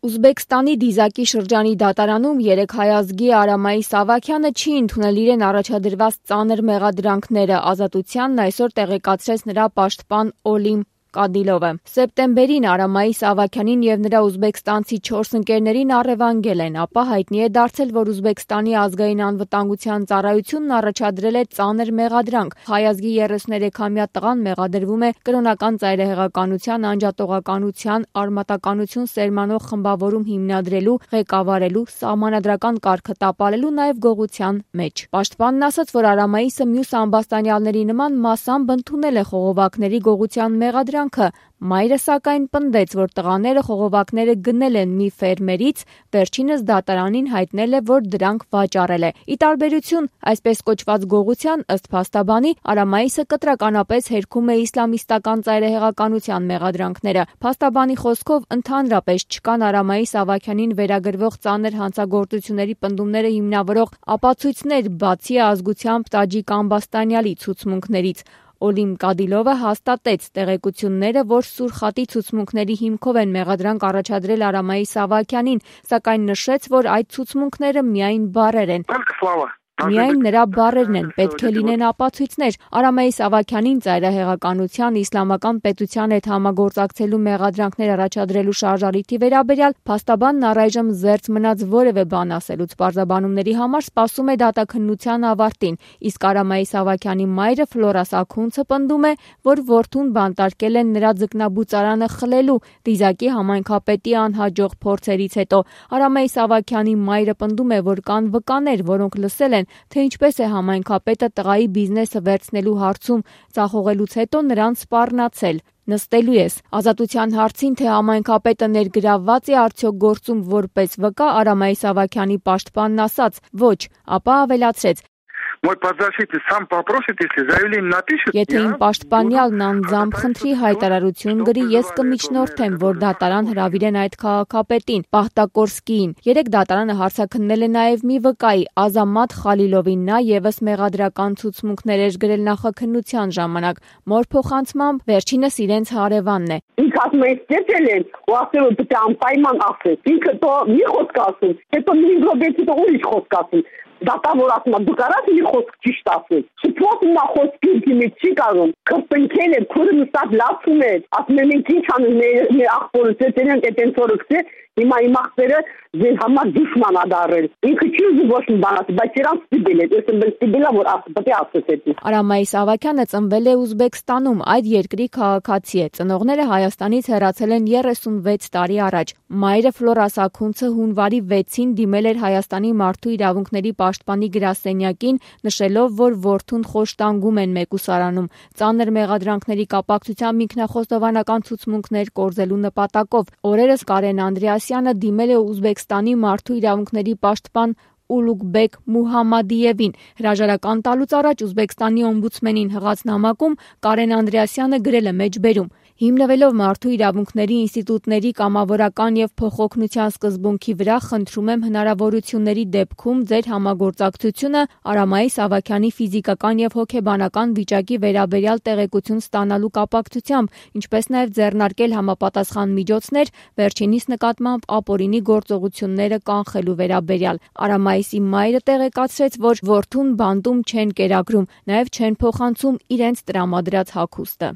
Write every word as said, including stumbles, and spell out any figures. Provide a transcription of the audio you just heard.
Ուզբեկստանի Դիզակի շրջանի դատարանում երեկ հայ ազգի Արամայի Սավաքյանը չի ընդունել իրեն առաջադրված ծանր մեղադրանքները, ազատությանն այսօր տեղեկացրեց նրա պաշտպան Օլիմ Կադիլովը։ Սեպտեմբերին Արամայի Սավաքյանին եւ նրա ուզբեկստանցի չորս ընկերներին առևանգել են, ապա հայտնի է դարձել, որ Ուզբեկստանի ազգային անվտանգության ծառայությունն առաջադրել է ծանր մեղադրանք։ Հայ ազգի երեսուներեքամյա տղան մեղադրվում է կրոնական ծայրահեղականության, անջատողականության, արմատականություն սերմանող խմբավորում հիմնադրելու, ղեկավարելու, սահմանադրական կարգը տապալելու, նաև գողության մեջ։ Պաշտպանն ասաց, որ Արամայիսը մյուս ամբաստանյալների նման մասամբ ընդունել է խողովակների գողության մեղադրանք։ Մայրը սակայն պնդեց, որ տղաները խողովակները գնել են մի ֆերմերից, վերջինս դատարանին հայտնել է, որ դրանք վաճառել է։ Ի տարբերություն այսպես կոչված գողության, ըստ փաստաբանի, Արամայիսը կտրականապես հերքում է իսլամիստական ծայրահեղականության մեղադրանքները։ Փաստաբանի խոսքով ընդհանրապես չկան Արամայի Սավաքյանին վերագրվող ծանր հանցագործությունների պնդումները հիմնավորող ապացույցներ, բացի ազգությամբ տաջիկ ամբաստանյալի ցուցմունքներից։ Օլիմ Կադիլովը հաստատեց տեղեկությունները, որ Սուրխատի ցուցմունքների հիմքով են մեղադրանք առաջադրել Արամայի Սավաքյանին, սակայն նշեց, որ այդ ցուցմունքները միայն բառեր են։ Միայն նրա բառերն են, պետք է լինեն ապացույցներ։ Արամայի Սավաքյանին ծայրահեղականության, իսլամական պետության հետ համագործակցելու մեղադրանքներ առաջադրելու շարժառիթի վերաբերյալ փաստաբանն առայժմ զերծ մնաց որևէ բան ասելուց, պարզաբանումների համար սպասում է դատաքննության ավարտին, իսկ Արամայի Սավաքյանի մայրը Ֆլորա Սաքունցը պնդում է, որ որդուն բանտարկել են նրա ձկնաբուծարանը խլելու Դիզակի համայնքապետի անհաջող փորձերից հետո։ Արամայի Սավաքյանի մայրը պնդում է, որ կան վկաներ, որոնք լսել են, թե ինչպես է համայնքապետը տղայի բիզնեսը վերցնելու հարցում ձախողելուց հետո նրան սպառնացել։ Նստելու ես։ Ազատության հարցին, թե համայնքապետը ներգրավված է արդյոք գործում որպես վկա, Արամայի Սավաքյանի պաշտպանն ասաց՝ ոչ, ապա ավելացրեց. Եթե իմ պաշտպանյալն անձամբ խնդրի հայտարարություն գրի, ես կմիջնորդեմ, որ դատարան հրավիրեն այդ քաղաքապետին, Պահտակորսկիին։ Երեք դատարանը հարցաքննել է նաև մի վկայի, Ազամատ Խալիլովին, նա եւս մեղադրական ցուցմունքներ էր գրել նախաքննության ժամանակ։ Մոր փոխանցմամբ վերջինս իրենց հարևանն է։ Ինքը ասում է, ստեցել են, ու ասել որ պետք է անպայման ասես։ Ինքը તો մի խոսք ասում, հետո մի րոպեից հետո ուրիշ խոսք ասում։ Դատավոր ասում է, դուք արած մի խոսք ճիշտ ասել։ Շփոթ նա խոսքի դիմից չի կարող։ Կրկնքել է, քուրը նստած լացում է, ասում է մենք ինչ անենք, մեր աղբորը ծեծերին այդպես օրոքսե, հիմա իմ աղբերը ձեր համար դժման ա դարել։ Ինքը չի ուզում ոչ մի բան ասել, բայց իրան ստիպել է, ես եմ ստիպել որ ասել, պետք է ասես էդի։ Արամայի Սավաքյանը ծնվել է Ուզբեկստանում, այդ երկրի քաղաքացի է։ Ծնողները Հայաստանից հեռացել են երեսունվեց տարի առաջ։ Մայրը Ֆլորա Սաքունցը հունվարի վեցին դիմել էր Հայաստանի մարդու իրավունքների պաշտպանի գրասենյակին, նշելով, որ որդուն խոշտանգում են մեկուսարանում։ Ծանր մեղադրանքների կապակցությամբ ինքնախոստովանական ցուցմունքներ կորզելու նպատակով օրերս Կարեն Անդրեասյանը դիմել է Ուզբեկստանի մարդու իրավունքների պաշտպան Ուլուգբեկ Մուհամմադիևին։ Հրաժարական տալուց առաջ Ուզբեկստանի օմբուդսմենին հղած նամակում Կարեն Անդրեասյանը գրել է մեջբերում. Հիմնվելով մարդու իրավունքների ինստիտուտների կամավորական եւ փոխօգնության սկզբունքի վրա, խնդրում եմ հնարավորությունների դեպքում ձեր համագործակցությունը Արամայի Սավաքյանի ֆիզիկական եւ հոգեբանական վիճակի վերաբերյալ տեղեկություն ստանալու կապակցությամբ, ինչպես նաեւ ձեռնարկել համապատասխան միջոցներ վերջինիս նկատմամբ ապօրինի գործողությունները կանխելու վերաբերյալ։ Արամայիսի մայրը տեղեկացրեց, որ որդուն բանտում չեն կերակրում, նաեւ չեն փոխանցում իրենց տրամադրած հագուստը։